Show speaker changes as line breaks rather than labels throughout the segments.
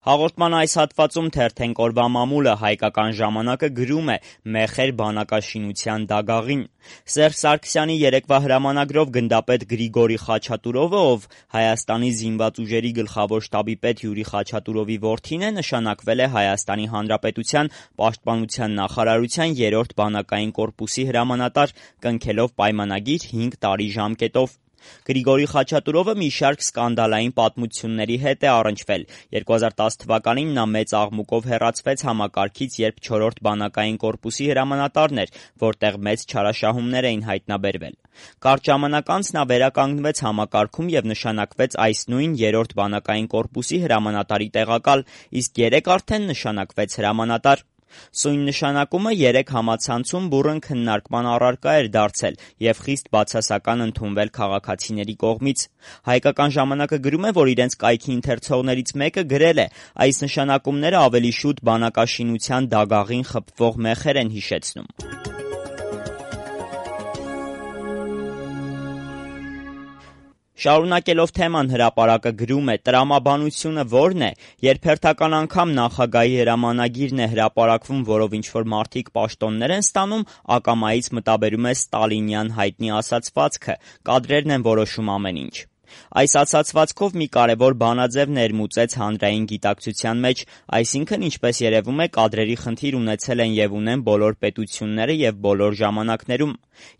Հաղորդման այս հատվածում թերթենք օրվա մամուլը հայկական ժամանակը գրում է «Մեխեր բանակաշինության դագաղին»։ Սերժ Սարգսյանի երեկվա հրամանագրով գնդապետ Գրիգորի Խաչատուրովը, ով Հայաստանի զինված ուժերի գլխավոր շտաբի պետ Յուրի Խաչատուրովի որդին է, նշանակվել է Հայաստանի Հանրապետության Պաշտպանության նախարարության 3-րդ բանակային կորպուսի հրամանատար, կնքելով պայմանագիր 5 տարի ժամկետով։ Գրիգորի Խաչատուրովը մի շարք սկանդալային պատմությունների հետ է առնչվել։ 2010 թվականին նա մեծ աղմուկով հեռացվեց համակարգից, երբ 4-րդ բանակային կորպուսի հրամանատարն էր, որտեղ մեծ չարաշահումներ էին հայտնաբերվել։ Կարճ ժամանակ անց նա վերականգնվեց համակարգում եւ նշանակվեց այս նույն 3-րդ բանակային կորպուսի հրամանատարի տեղակալ, իսկ երեկ արդեն նշանակվեց հրամանատար։ Սույն նշանակումը 3 համացանցում բուռն քննարկման առարկա էր դարձել եւ խիստ բացասական ընդունվել քաղաքացիների կողմից։ Հայկական ժամանակը գրում է, որ իրենց կայքի ընթերցողներից մեկը գրել է. այս նշանակումները ավելի շուտ բանակաշինության դագաղին խփվող մեխեր են հիշեցնում։ Շարունակելով թեման հրապարակը գրում է. տրամաբանությունը ո՞րն է, երբ հերթական անգամ նախագահի հրամանագիրն է հրապարակվում, որով ինչ-որ մարդիկ պաշտոններ են ստանում, ակամայից մտաբերում է ստալինյան հայտնի ասացվածքը. կադրերն են որոշում ամեն ինչ։ Այս ասացվածքով մի կարևոր բանաձև ներմուծեց հանրային գիտակցության մեջ, այսինքն, ինչպես երևում է, կադրերի խնդիր ունեցել են եւ ունեն բոլոր պետությունները եւ բոլոր ժամանակներում։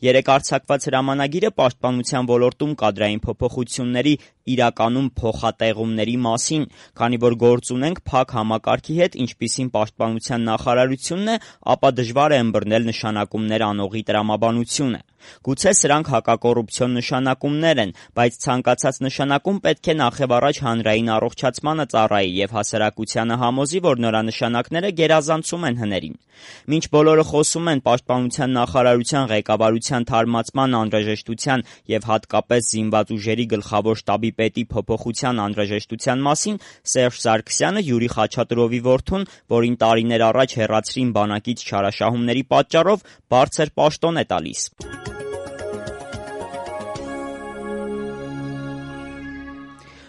Երեք արձակված հրամանագիրը պաշտպանության ոլորտում կադրային փոփոխությունների, իրականում փոխատեղումների մասին, քանի որ գործ ունենք փակ համակարգի հետ, ինչպիսին պաշտպանության նախարարությունն է, ապա դժվար է ըմբռնել նշանակումներ անողի տրամաբանությունը։ Գուցե սրանք հակակոռուպցիոն նշանակումներ են, բայց ցանկացած նշանակում պետք է նախևառաջ հանրային առողջացմանը ծառայի եւ հասարակությանը համոզի, որ նրա նշանակները գերազանցում են հներին։ Մինչ բոլորը խոսում են պաշտպանության նախարարության ղեկավարության թարմացման անհրաժեշտության եւ հատկապես զինված ուժերի գլխավոր շտաբի պետի փոփոխության անհրաժեշտության մասին, Սերժ Սարգսյանը Յուրի Խաչատուրովի որդուն, որին տարիներ առաջ հեռացրին բանակից չարաշահումների պատճառով, բարձր պաշտոն է տալիս։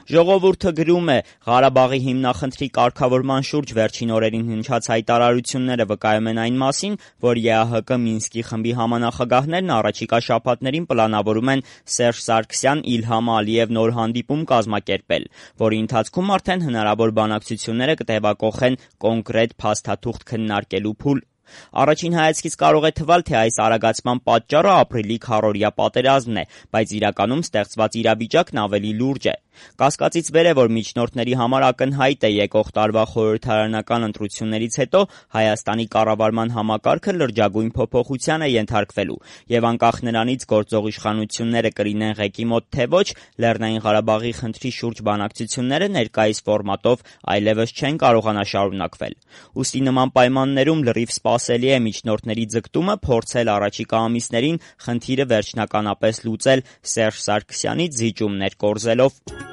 Ժողովուրդը գրում է. Ղարաբաղի հիմնախնդրի կարգավորման շուրջ վերջին օրերին հնչած հայտարարությունները վկայում են այն մասին, որ ԵԱՀԿ Մինսկի խմբի համանախագահներն առաջիկա շաբաթներին պլանավորում են Սերժ Սարգսյան, Իլհամ Ալիև նոր հանդիպում կազմակերպել, որի ընթացքում արդեն հնարավոր բանակցությունները կտևակոխեն կոնկրետ փաստաթուղթ քննարկելու փուլ։ Առաջին հայացքից կարող է թվալ, թե այս արագացման պատճառը ապրիլի քառօրյա պատերազմն է, բայց իրականում ստեղծված իրավիճակն ավելի լուրջ է։ Կասկածից վեր է, որ միջնորդների համար ակնհայտ է եկող տարվա խորհրդարանական ընտրություններից հետո Հայաստանի կառավարման համակարգը լրջագույն փոփոխության է ենթարկվելու, եւ անկախ նրանից գործող իշխանությունները կլինեն ղեկի մոտ թե ոչ, Լեռնային Ղարաբաղի խնդրի շուրջ բանակցությունները ներկայիս ֆորմատով այլևս չեն կարողանա շարունակվել։ Ուստի նման պայմաններում լրիվ սպասելի է միջնորդների ձգտումը փորձել առաջիկա ամիսներին խնդիրը վերջնականապես լուծել Սերժ Սարգսյանից զիջումներ կորզելով։